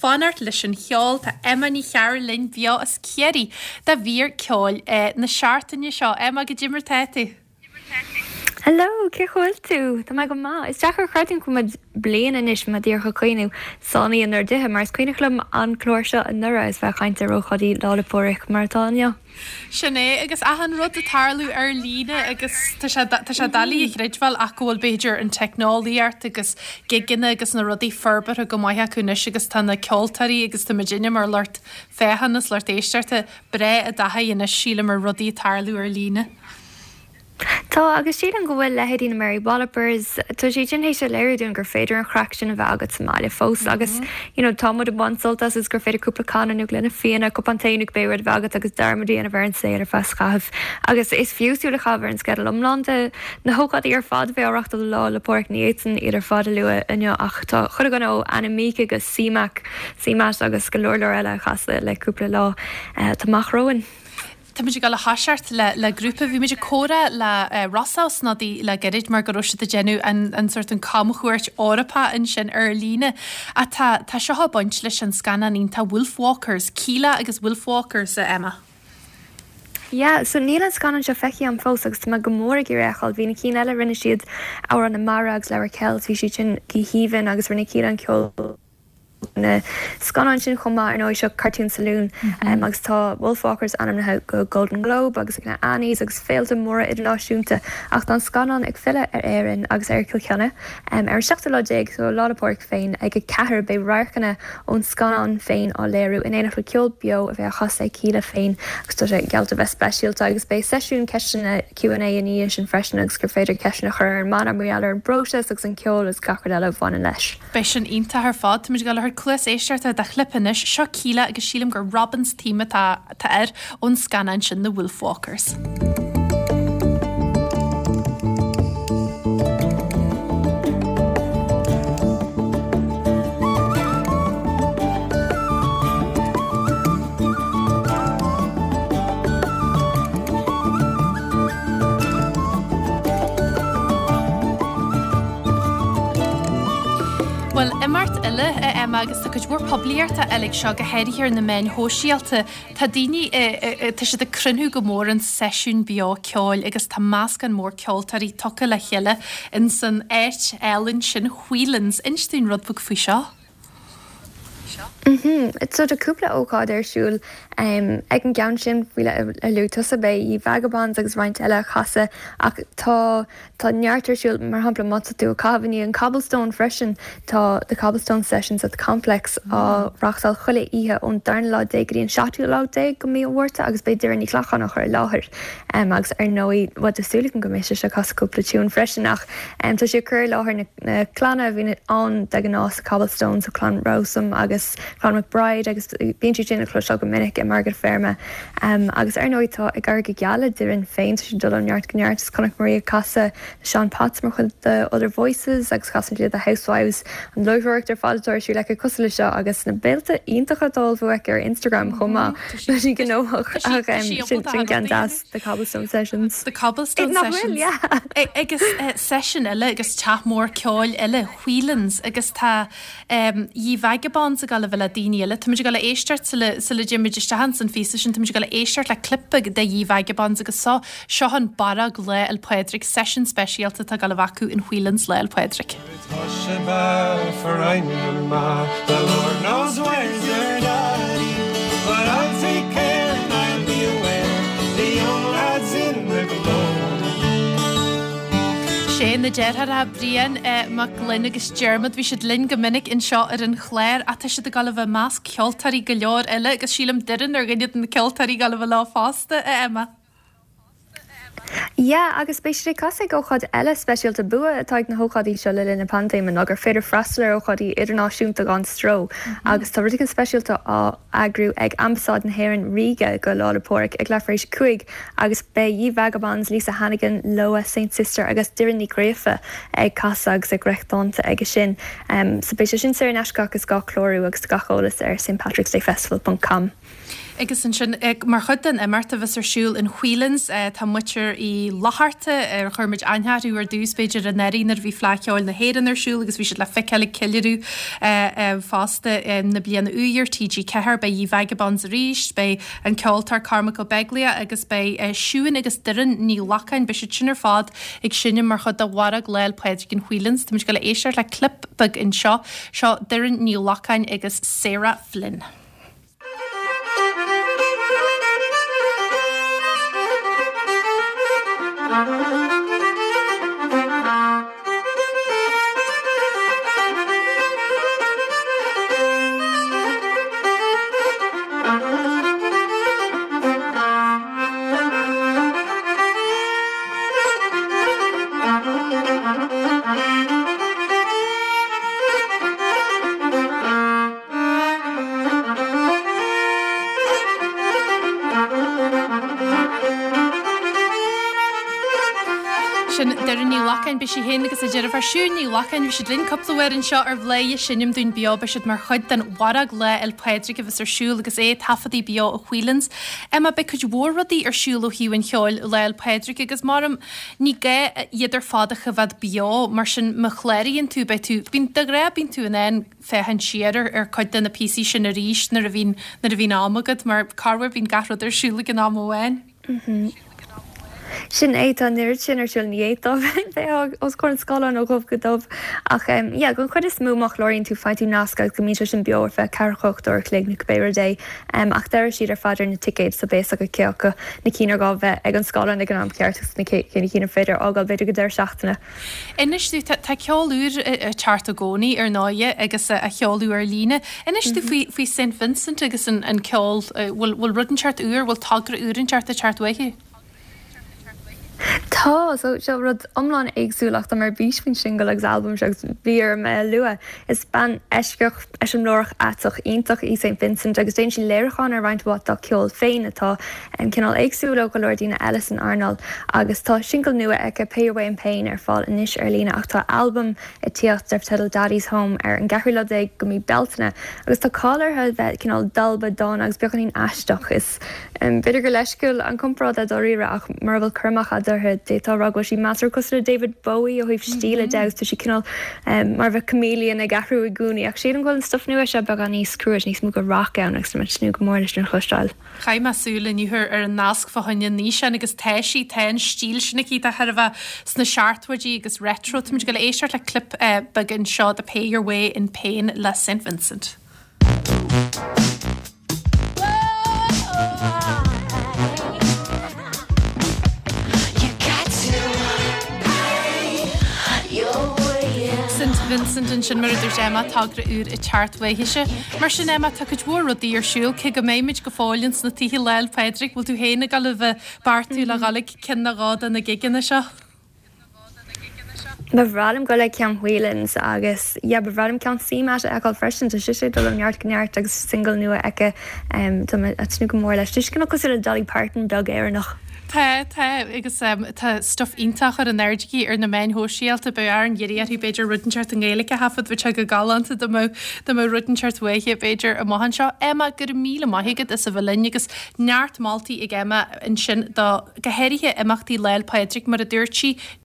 fanacht leis an cheol. Tá Emma Ní Chearúil linn beo as Ciarraí do mhír ceoil na seachtaine seo. Emma, goidé mar tá tú? Hello, cén chaoi a bhfuil tú? Tá mé go maith. Is deacair a chreidiúint go bhfuil muid bliain anois, mé díreach ag cuimhniú, sáinnithe inár dtithe, mar is cuimhneach liom an clár seo anuraidh agus bheith ag caint ar ócáidí Lá 'le Pádraig mar atá inniu. Sin é, agus achan rud ag tarlú ar líne agus tá sé, tá sé doiligh a chreidbheáil ach go bhfuil b'fhéidir an teicneolaíocht agus gigeanna agus na rudaí forbartha go maith acu anois agus tá na ceoltóirí agus tá muidinne mar lucht féachana is lucht éisteachta breá i dtaithí anois sílim ar rudaí ag tarlú ar líne. Tá, agus sílim go bhfuil leithéidí na Mary Wallopers, tá siad sin théis a léiriú dúinn gur féidir an chraic sin a bheith agat sa mbaile fós agus you know tá muid ag baint sult as agus gur féidir cúpla canna nó gloine fíona, cupán tae nó cibé rud a bheith agat agus dearmad a dhéanamh ar an saol ar feadh scaithimh. Agus is fiú súil a chaitheamh ar an sceideal iomlán de na hócáidí ar fad a bheidh á reachtáil do Lá 'le Pádraig. Ní fhéadfainn iad ar fad a lua inniu ach tá chuile dhuine ó Anna Mieke go C-Mac, C-Matt agus go leor leor eile ag casadh le cúpla lá atá amach romhainn. Tá muid ag dul a thoiseacht le le grúpa. Bhí muid ag comhrá le Rossa Ó Snodaigh le gairid mar go raibh siad ag déanamh an an sórt an camchuairt Eorpach ansin ar líne. Ach tá tá seo ag baint leis an scannán iontach Wolfwalkers, Kíla agus Wolfwalkers, a Emma. Yeah, so níl an scannán seo feicthe agam fós agus tá mé go mór ag iarraidh é a fheiceáil. Bhí na cinn eile, rinne siad Amhrán na Mara agus Leabhar Kells, bhí siad sin go haoibhinn agus rinne Kíla an ceol na scannáin sin chomh maith, ar ndóigh, seo Cartoon Saloon agus tá Wolfwalkers ainmnithe go Golden Globe agus ag na Annies agus féilte móra idirnáisiúnta ach tá an scannán ag filleadh ar Éirinn agus ar Chill Chainnigh ar an seachtú lá déag, so Lá 'le Pádraig féin, ag 4 beidh radharcanna ón scannán féin á léiriú in éineacht le ceol beo a bheidh á chasadh ag Kíla féin agus tá sé geallta bheith speisialta agus beidh seisiún ceisteanna Q and A ina dhiaidh sin freisin agus gur féidir ceisteanna a chur ar an mbanna mar gheall ar an bpróiseas agus an ceol agus gach rud eile a bhaineann leis. Beidh sin iontach ar fad. Táimid ag dul a thabhairt cluas éisteachta do chlip anois. Seo Kíla agus sílim gur Robin's Theme atá atá air ón scannán sin The Wolfwalkers. Bhuel, imeacht eile, a Emma, agus tá cuid mhór poiblíochta á fháil ag seo, go háirithe ar na meáin shóisialta. Tá daoine, tá siad ag cruinniú go mór an seisiún beo ceoil agus tá meascán mór ceoltóirí tugtha le chéile ins an áit álainn sin, Whelan's. Inis dúinn rud beag faoi seo. So tá cúpla ócáid ar siúl ag an gceann sin faoi a luaigh tusa, beidh Ye Vagabonds agus roinnt eile ag casadh ach tá tá neart ar siúl, mar shampla má tá tú ag caitheamh i ndiaidh an Cobblestone freisin, tá The Cobblestone Sessions at the Complex á reachtáil chuile oíche ón darna lá déag go dtí an seachtú lá déag de mhí an Mhárta agus beidh Doireann Ní Ghlacáin á chur i láthair agus ar ndóigh bhuel tá súil agam go mbeidh sise ag casadh cúpla tiún freisin ach tá sí ag cur i láthair na na clanna a bhíonn ann de ghnáth sa Cobblestone, so clann Rowsome agus clann McBride agus bíonn siad sin le cloisteáil go minic i margadh feirme. Agus ar ndóigh tá ag éirí go geal le Doireann féin, tá sí ag dul ó neart go neart is chonaic muid í ag casadh le Seán Potts mar chuid de Other Voices agus casann sí le The Housewives, an láithreoireacht ar fad atá ar siúl aici cosúil le seo agus na béilte iontacha atá á ullmhú aici ar Instagram chomh maith. Tá sí gnóthach ach sin ceann deas. The Cobblestone Sessions. The Cobblestone Sessions. Nach bhfuil, yeah. Agus seisiún eile agus teach mór ceoil eile, Whelan's, agus tá Ye Vagabonds ag dul a bheith le daoine eile. Táimid ag dul a éisteacht sula sula dtéimid isteach ins an phíosa sin, táimid ag dul a éisteacht le clip beag de Ye Vagabonds agus so, seo an Barróg Lá 'le Pádraig, seisiún speisialta atá ag dul a bheith acu in Whelan's Lá 'le Pádraig. The Lord knows where's your daddy But I'll take care and I'll be aware The young lads in the glow Sé na deartháireacha Brian Mac Gloinn agus Diarmuid, bhí siad linn go minic anseo ar an chlár ach tá siad ag dul a bheith i measc ceoltóirí go leor eile agus sílim Doireann ar dhuine de na ceoltóirí ag dul a bheith leo fosta, a Emma. Yeah, agus beidh siad ag casadh ag ócáid eile speisialta. Bua atá ag na hócáidí seo le linn na paindéime ná gur féidir freastal ar ócáidí idirnáisiúnta gan stró agus tá rud éigin speisialta á eagrú ag Ambasáid na hÉireann Ríge go Lá 'le Pádraig ag leathuair tar éis a 5 agus beidh Ye Vagabonds, Lisa Hannigan, Loah, Saint Sister agus Doireann Ní Ghríofa ag casadh agus ag rith dánta aige sin. So beidh sé sin saor in aisce ach is gá clárú agus tá gach eolas ar stpatricksdayfestival ponc com. Agus ansin, mar chuid den imeacht a bheas ar siúl in Whelan's, tá muintir Uí Fhlatharta, ar chuir muid aithne orthu ar dtús, b'fhéidir, anuraidh nuair a bhí Fleadh Cheoil na hÉireann ar siúl agus bhí siad le feiceáil ag ceiliúradh fosta na bliana úd ar TG4. Beidh Ye Vagabonds arís, beidh an ceoltóir Cormac Ó Beaglaoich agus beidh Siún agus Doireann Ní Ghlacáin, beidh siad sin ar fad ag seinm mar chuid de Mhargadh Lá 'le Pádraig in Whelan's. Tá muid ag dul a éisteacht le clip beag anseo. Seo Doireann Ní Ghlacáin agus Sarah Flynn. Sin Doireann Ní Ghlacáin, beidh sí féin agus a deirfiúr Siún Ní Ghlacáin, bhí siad linn cúpla uair anseo ar Bhladhaire Seinm Dúinn Beo, beidh siad mar chuid den Mhargadh Lá 'le Pádraig a bheas ar siúl agus é ag taifeadadh beo i Whelan's. Emma, beidh cuid mhór rudaí ar siúl ó thaobh an cheoil Lá 'le Pádraig agus maram ní gá iad ar fad a choimhéad beo, mar sin má chláraíonn tú beidh tú, bíonn, de ghnáth bíonn tú in ann féachaint siar ar ar cuid de na píosaí sin arís nuair a bhíonn nuair a bhíonn am agat mar corruair bíonn gach rud ar siúl ag an am amháin. Sin é, tá an oiread sin ar siúl, ní fhéadfá bheith os comhair an scáileáin ó dhubh go dubh ach yeah don chuid is mó má chláraíonn tú faigheann tú nasc agus go mbíonn sé sin beo ar feadh 48 uair a chloig nó cibé rud é ach deir siad ar fad ar na ticéid so beidh a fhios agat cé acu na cinn ar gá bheith ag an scáileán ag an am ceart agus na cé na cinn ar féidir a fhágáil b'fhéidir go deireadh seachtaine. Inis domh, tá ceol úr ag teacht i gcónaí ar ndóighe agus á sheoladh ar líne. Inis domh faoi faoi Saint Vincent agus an an ceol, bhfuil bhfuil rud inteacht úr, bhfuil togra úr inteacht ag teacht uaithi? Tá, so seo rud iomlán éagsúil ach tá mé ar bís faoin singil agus albam seo agus bhí orm é a lua. Is bean eisceach, eiseamláireach, aiteach, iontach í Saint Vincent agus déanann sí léiriúcháin ar roinnt mhaith dá ceol féin atá cineál éagsúil ó go leor daoine eile san earnáil agus tá singil nua aici, Pay Your Way in Pain, ar fáil anois ar líne ach tá albam ag tíocht darb teideal Daddy's Home ar an gceathrú lá déag de mhí Bealtaine agus tá cáil uirthi a bheith cineál dalba, dána agus beagáinín aisteach. Is b'fhéidir gur leisciúil an comparáid é dáiríre ach mura bhfuil cur amach agat uirthi d'fhéadfá a rá go bhfuil sí measartha cosúil le David Bowie ó thaobh stíle de agus tá sí cineál mar a bheadh chameleon ag athrú i gcónaí ach sílim go bhfuil an stuif nua seo beagán níos crua, níos mó de rac ann agus tá mé ag tnúth go mór leis sin a chloisteáil. Chaith mé súil inniu ar an nasc fá choinne an fhíseáin agus tá sí, tá an stíl sin aici, tá chóir a bheith sna seachtóidí agus retro. Táimid ag dul a éisteacht le clip beag anseo de Pay Your Way in Pain le Saint Vincent. Saint Vincent ansin mar a dúirt Emma, togra úr ag teacht uaithise. Mar sin Emma, tá cuid mhór rudaí ar siúl, cé go mbeimid go fóill ins na tithe Lá 'le Pádraig, bhfuil tú féin ag dul a bheith beartaithe le dhul ag ceann nó dhó de na gigeanna seo? Ba bhreá liom dul ag ceann Whelan's agus yeah ba bhreá liom ceann CMAT a fheiceáil freisin, tá sise ag dul ó neart go neart agus singil nua aici, tá mé ag tnúth go mór leis. Tá sí cineál cosúil le Dolly Parton beag Éireannach. Tá, tá, agus tá stuif iontach ar in airde aici ar na meáin shóisialta, beidh orainn iarraidh uirthi b'fhéidir rud inteacht i nGaeilge a thaifead, bheadh sé go galánta dá mbeadh, dá mbeadh rud inteacht uaithi b'fhéidir amach anseo. Emma, go raibh míle maith agat as a bheith linn agus neart moltaí ag Emma ansin do, go háirithe imeachtaí Lá 'le Pádraig mar a dúirt sí.